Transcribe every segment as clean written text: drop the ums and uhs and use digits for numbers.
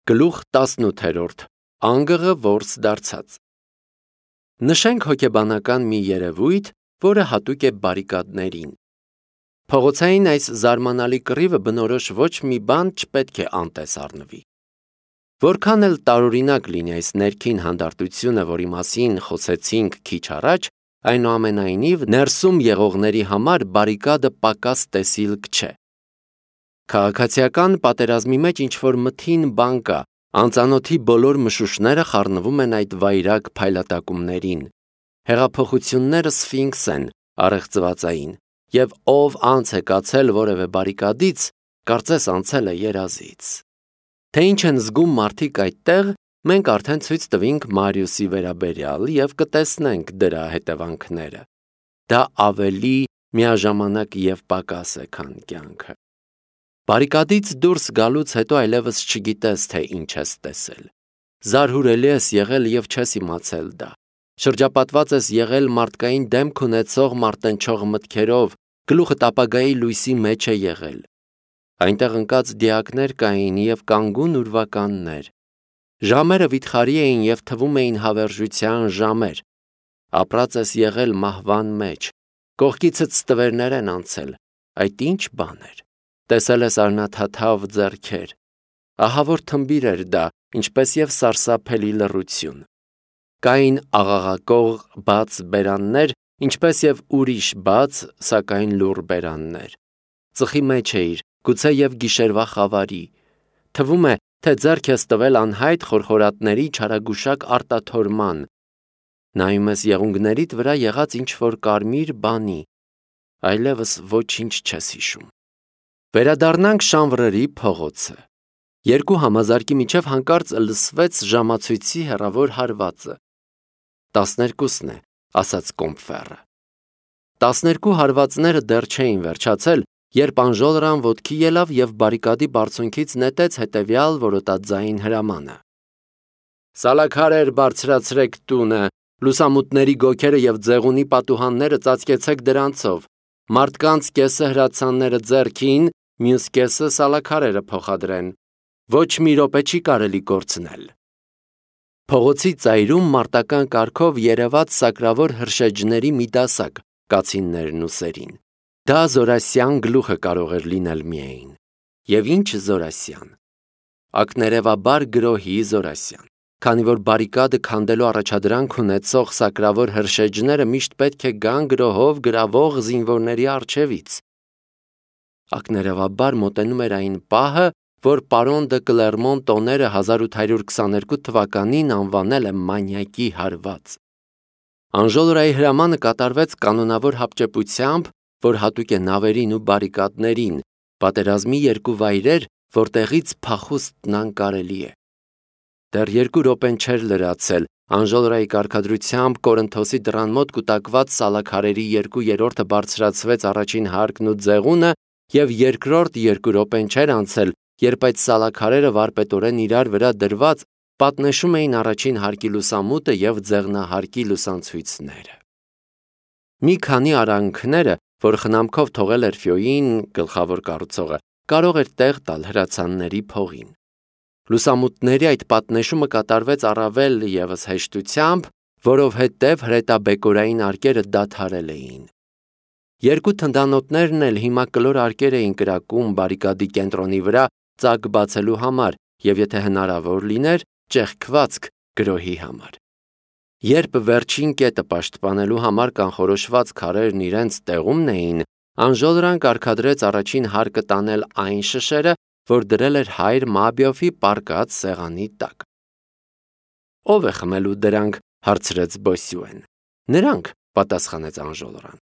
Գլուխ 18 Անգղը որս դարձած Նշենք հոգեբանական մի երևույթ, որը հատուկ է բարիկադներին։ Փողոցային այս զարմանալի կռիվը բնորոշ ոչ մի բան չպետք է անտես առնվի։ Որքան էլ տարօրինակ լինի այս ներքին հանդարտությունը, որի մասին խոսեցինք քիչ առաջ, այնուամենայնիվ ներսում եղողների համար բարիկադը պակաս տեսիլք չէ։ Քաղաքացիական պատերազմի մեջ ինչ-որ մթին բան կա, անծանոթի բոլոր մշուշները խառնվում են այդ վայրագ փայլատակումներին։ Հեղափոխությունները սֆինքս են, առեղծվածային, և ով անց է կացել որևէ բարիկադից, կարծես անցել է երազից։ Թե ինչ են զգում մարդիկ այդտեղ, մենք արդեն ցույց տվինք Մարիուսի վերաբերյալ և կտեսնենք դրա հետևանքները։ Դա ավելի միաժամանակ և պակաս է, քան կյանքը։ Բարիկադից դուրս գալուց հետո այլևս չգիտես, թե ինչ ես տեսել։ Զարհուրելի ես եղել և չես իմացել դա։ Շրջապատված ես եղել մարդկային դեմք ունեցող մարտնչող մտքերով, գլուխդ ապագայի լույսի մեջ է եղել։ Այնտեղ ընկած դիակներ կային և կանգուն ուրվականներ։ Ժամերը վիթխարի էին և թվում էին հավերժության ժամեր։ Ապրած ես եղել մահվան մեջ։ Կողքիցդ ստվերներ են անցել։ Այդ ինչ բան էր։ Տեսել ես արնաթաթավ ձեռքեր։ Ահավոր թմբիր էր դա, ինչպես և սարսափելի լռություն։ Կային աղաղակող բաց բերաններ, ինչպես և ուրիշ բաց, սակայն լուռ բերաններ։ Ծխի մեջ էիր, գուցե և գիշերվա խավարի։ Թվում է, թե ձեռք ես տվել անհայտ խորխորատների չարագուշակ արտաթորման։ Նայում ես եղունգներիդ վրա եղած ինչ-որ կարմիր բանի։ Այլևս ոչինչ չես հիշում։ Վերադառնանք Շանվռերի փողոցը։ Երկու համազարկի միջև հանկարծ լսվեց ժամացույցի հեռավոր հարվածը։ 12-ն է, ասաց Կոմբֆերը։ 12 հարվածները դեռ չէին վերջացել, երբ Անժոլրան ոտքի ելավ և բարիկադի բարձունքից նետեց հետևյալ որոտաձայն հրամանը. Սալաքարեր բարձրացրեք տունը, լուսամուտների գոգերը և ձեղունի պատուհանները ծածկեցեք դրանցով, մարդկանց կեսը հրացանները ձեռքին, մյուս կեսը սալաքարերը փոխադրեն։ Ոչ մի րոպե չի կարելի կորցնել։ Փողոցի ծայրում մարտական կարգով երևաց սակրավոր հրշեջների մի դասակ, կացիններն ու սերին։ Դա Զորասյան գլուխը կարող էր լինել միայն։ Եվ ինչ Զորասյան։ Ակներևաբար գրոհի Զորասյան։ Քանի որ բարիկադը քանդելու առաջադրանք ունեցող սակրավոր հրշեջները միշտ պետք է գան գրոհով գրավող զինվորների առջևից։ Ակներևաբար մոտենում էր այն պահը, որ պարոն դը Կլերմոն տոները 1822 թվականին անվանել է մանյակի հարված։ Անժոլրայի հրամանը կատարվեց կանոնավոր հապճեպությամբ, որ հատուկ է նավերին ու բարիկադներին, պատերազմի երկու վայրեր, որտեղից փախուստն անկարելի է։ Դեռ 2 րոպեն չէր լրացել, Անժոլրայի կարգադրությամբ Կորինթոսի դռան մոտ կուտակված սալաքարերի 2/3-ը բարձրացվեց առաջին հարկն ու ձեղունը, և երկրորդ 2 րոպեն չէր անցել, երբ այդ սալաքարերը վարպետորեն իրար վրա դրված պատնեշում էին առաջին հարկի լուսամուտը և ձեղնահարկի լուսանցույցները։ Մի քանի արանքները, որ խնամքով թողել էր Ֆյոյին, գլխավոր կառուցողը, կարող էր տեղ տալ հրացանների փողին։ Լուսամուտների այդ պատնեշումը կատարվեց առավել ևս հեշտությամբ, որովհետև հրետաբեկորային արկերը դադարել էին։ Երկու թնդանոթներն էլ հիմա կլոր արկեր էին կրակում բարիկադի կենտրոնի վրա ծակ բացելու համար և եթե հնարավոր լիներ, ճեղքվածք գրոհի համար։ Երբ վերջին կետը պաշտպանելու համար կանխորոշված քարերն իրենց տեղումն էին, Անժոլրան կարգադրեց առաջին հարկը տանել այն շշերը, որ դրել էր հայր Մաբիոֆի պառկած սեղանի տակ։ Ո՞վ է խմելու դրանք, հարցրեց Բոսյուեն։ Նրանք, պատասխանեց Անժոլրան։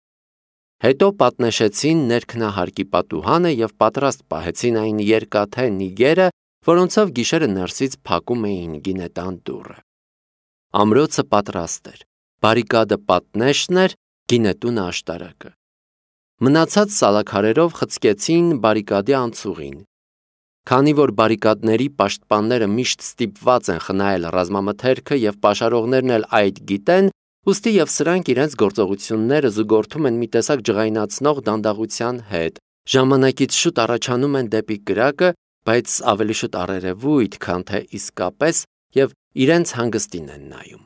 Հետո պատնեշեցին ներքնահարկի պատուհանը և պատրաստ պահեցին այն երկաթե նիգերը, որոնցով գիշերը ներսից փակում էին գինետան դուռը։ Ամրոցը պատրաստ էր, բարիկադը պատնեշն էր, գինետունը աշտարակը։ Մնացած սալաքարերով խցկեցին բարիկադի անցուղին։ Քանի որ բարիկադների պաշտպանները միշտ ստիպված են խնայել ռազմամթերքը և պաշարողներն էլ այդ գիտեն, ուստի և սրանք իրենց գործողությունները զուգորդում են մի տեսակ ջղայնացնող դանդաղության հետ, ժամանակից շուտ առաջանում են դեպի կրակը բայց ավելի շուտ առերևույթ, քան թե իսկապես եւ իրենց հանգստին են նայում։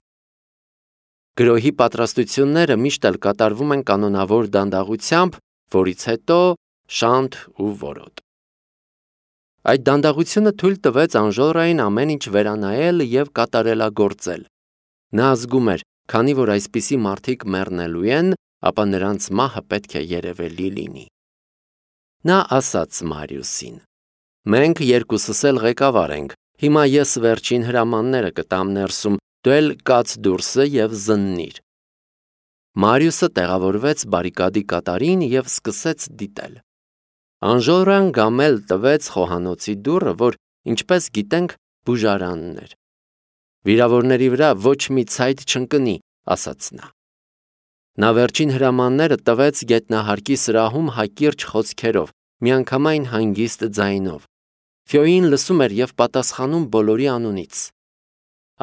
Գրոհի պատրաստությունները միշտ էլ կատարվում են կանոնավոր դանդաղությամբ, որից հետո շանթ ու որոտ։ Այդ դանդաղությունը թույլ տվեց Անժելային ամեն ինչ վերանայել եւ կատարելագործել։ Նա զգում էր, քանի որ այսպիսի մարդիկ մեռնելու են, ապա նրանց մահը պետք է երևելի լինի։ Նա ասաց Մարիուսին. «Մենք երկուսս էլ ղեկավար ենք, հիմա ես վերջին հրամանները կտամ ներսում, դու էլ կաց դուրսը եւ զննիր»։ Մարիուսը տեղավորվեց բարիկադի կատարին եւ սկսեց դիտել։ Անժելան գամել տվեց խոհանոցի դուռը, որ, ինչպես գիտենք, բուժարանն էր։ «Վիրավորների վրա ոչ մի ցայտ չընկնի», ասաց նա։ Նա վերջին հրամանները տվեց գետնահարկի սրահում հակիրճ խոսքերով, միանգամայն հանգիստ ձայնով։ Ֆյոին լսում էր եւ պատասխանում բոլորի անունից։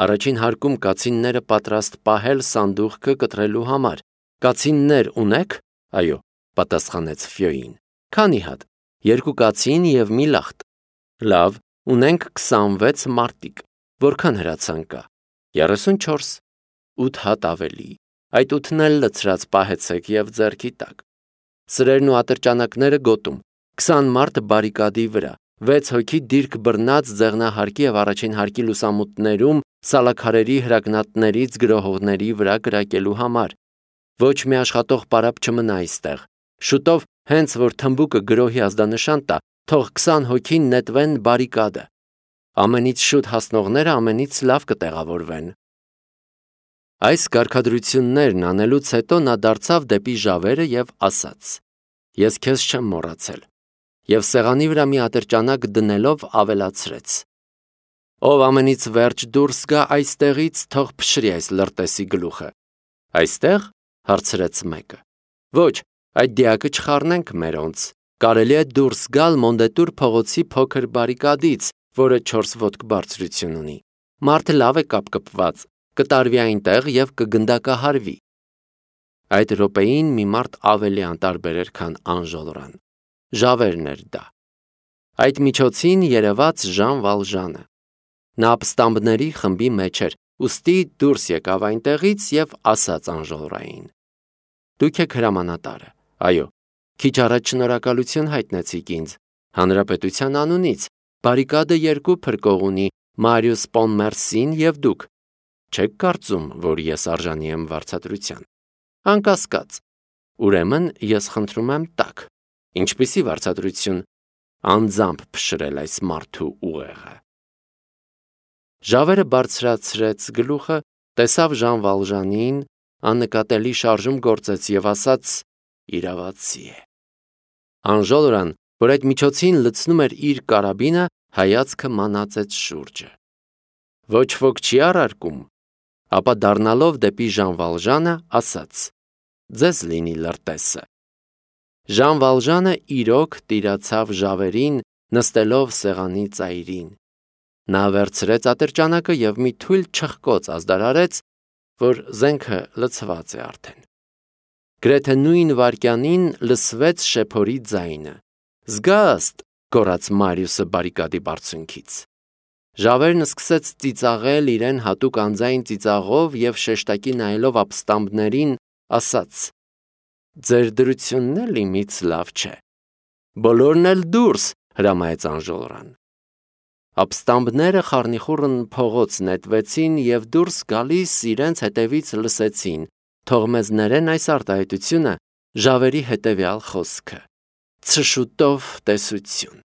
Առաջին հարկում կացինները պատրաստ պահել սանդուղքը կտրելու համար։ «Կացիններ ունեք»։ «Այո», պատասխանեց Ֆյոին։ «Քանի հատ»։ «2 կացին եւ մի լախտ»։ «Լավ, ունենք 26 մարտիկ»։ «Որքան հրացան կա»։ 34։ 8 հատ ավելի։ Այդ 8-ն էլ լցրած պահեցեք եւ ձեռքի տակ։ Սրերն ու ատրճանակները գոտում։ 20 մարդ բարիկադի վրա, 6 հոգի դիրք բռնած ձեղնահարկի եւ առաջին հարկի լուսամուտներում սալաքարերի հրագնատներից գրոհողների վրա կրակելու համար։ Ոչ մի աշխատող պարապ չմնա այստեղ։ Շուտով, հենց որ թմբուկը գրոհի ազդանշան տա, թող 20 հոգին նետվեն բարիկադը։ Ամենից շուտ հասնողները ամենից լավ կտեղավորվեն։ Այս կարգադրություններն անելուց հետո նա դարձավ դեպի Ժավերը եւ ասաց. «Ես քեզ չեմ մոռացել»։ Եվ սեղանի վրա մի ատրճանակ դնելով ավելացրեց. «Ով ամենից վերջ դուրս գա այստեղից, թող փշրի այս լրտեսի գլուխը»։ «Այստեղ»։ հարցրեց մեկը։ «Ոչ, այդ դիակը չխառնենք մերոնց։ Կարելի է դուրս գալ Մոնդետուր փողոցի փոքր բարիկադից, որը 4 ոտք բարձրություն ունի։ Մարդը լավ է կապկպված, կտարվի այնտեղ եւ կգնդակահարվի»։ Այդ րոպեին մի մարդ ավելի անտարբեր էր, քան Անժելան։ Ժավերն էր դա։ Այդ միջոցին երևաց Ժան Վալժանը։ Նա ապստամբների խմբի մեջ էր, ուստի դուրս եկավ այնտեղից եւ ասաց Անժելային. «Դուք եք հրամանատարը»։ «Այո»։ «Քիչ առաջ շնորհակալություն հայտնեցիք ինձ։ Հանրապետության անունից, բարիկադը 2 փրկող ունի, Մարիուս Պոնմերսին եւ դուք։ Չեք կարծում, որ ես արժանի եմ վարձատրության»։ «Անկասկած»։ «Ուրեմն ես խնդրում եմ տաք»։ «Ինչպիսի վարձատրություն»։ «Անձամբ փշրել այս մարդու ուղեղը»։ Ժավերը բարձրացրեց գլուխը, տեսավ Ժան Վալժանին, աննկատելի շարժում գործեց եւ ասաց. «Իրավացի է»։ Անժելան, որ այդ միջոցին լցնում էր իր կարաբինը, հայացքը մանածեց շուրջը։ Ոչ ոք չի առարկում։ Ապա դառնալով դեպի Ժան Վալժանը, ասաց. «Ձեզ լինի լրտեսը»։ Ժան Վալժանը իրոք տիրացավ Ժավերին, նստելով սեղանի ծայրին։ Նա վերցրեց ատրճանակը եւ մի թույլ չխկոց ազդարարեց, որ զենքը լցված է արդեն։ Գրեթե նույն վայրկյանին լսվեց շեփորի ձայնը։ «Զգաստ», գոռաց Մարիուսը բարիկադի բարձունքից։ Ժավերն սկսեց ծիծաղել իրեն հատուկ անձայն ծիծաղով եւ շեշտակի նայելով ապստամբներին, ասաց. «Ձեր դրությունն էլ իմից լավ չէ»։ «Բոլորն էլ դուրս», հրամայեց Անժելան։ Ապստամբները խառնիխուռն փողոց նետվեցին եւ դուրս գալիս իրենց հետևից լսեցին. «Թող մեզ ներեն այս արտահայտությունը», Ժավերի հետևյալ խոսքը. «Ցշուտով տեսություն»։